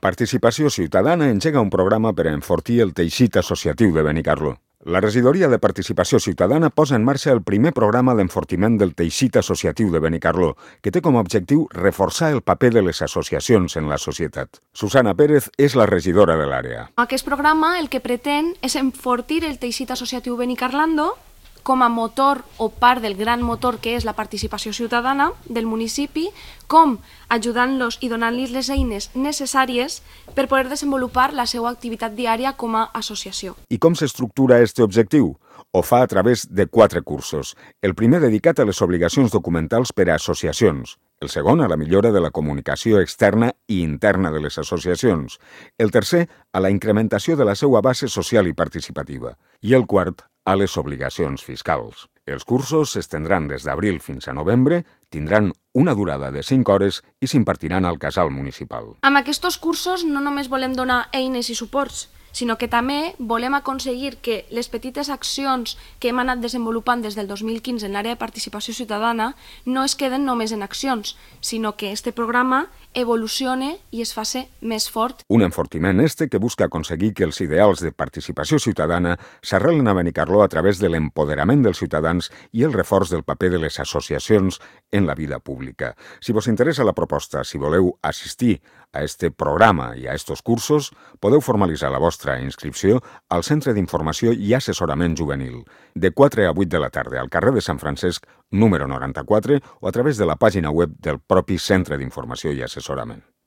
Participació Ciutadana engega un programa per a enfortir el teixit associatiu de Benicarló. La Regidoria de Participació Ciutadana posa en marxa el primer programa d'enfortiment del teixit associatiu de Benicarló, que té com a objectiu reforçar el paper de les associacions en la societat. Susana Pérez és la regidora de l'àrea. Aquest programa el que pretén és enfortir el teixit associatiu benicarlando com a motor o part del gran motor que és la participació ciutadana del municipi, com ajudant-los i donant-los les eines necessàries per poder desenvolupar la seva activitat diària com a associació. I com s'estructura aquest objectiu? Ho fa a través de 4 cursos. El primer dedicat a les obligacions documentals per a associacions. El segon a la millora de la comunicació externa i interna de les associacions. El tercer a la incrementació de la seva base social i participativa. I el quart a les obligacions fiscals. Els cursos s'estendran des d'abril fins a novembre, tindran una durada de 5 hores i s'impartiran al casal municipal. Amb aquests cursos no només volem donar eines i suports, sinó que també volem aconseguir que les petites accions que hem anat desenvolupant des del 2015 en l'àrea de participació ciutadana no es queden només en accions, sinó que este programa evolucione i es faci més fort. Un enfortiment que busca aconseguir que els ideals de participació ciutadana s'arrelen a Benicarló a través de l'empoderament dels ciutadans i el reforç del paper de les associacions en la vida pública. Si vos interessa la proposta, si voleu assistir a este programa i a estos cursos, podeu formalitzar la vostra inscripció al Centre d'Informació i Assessorament Juvenil, de 4 a 8 de la tarda, al carrer de Sant Francesc, número 94, o a través de la pàgina web del propi Centre d'Informació i Assessorament.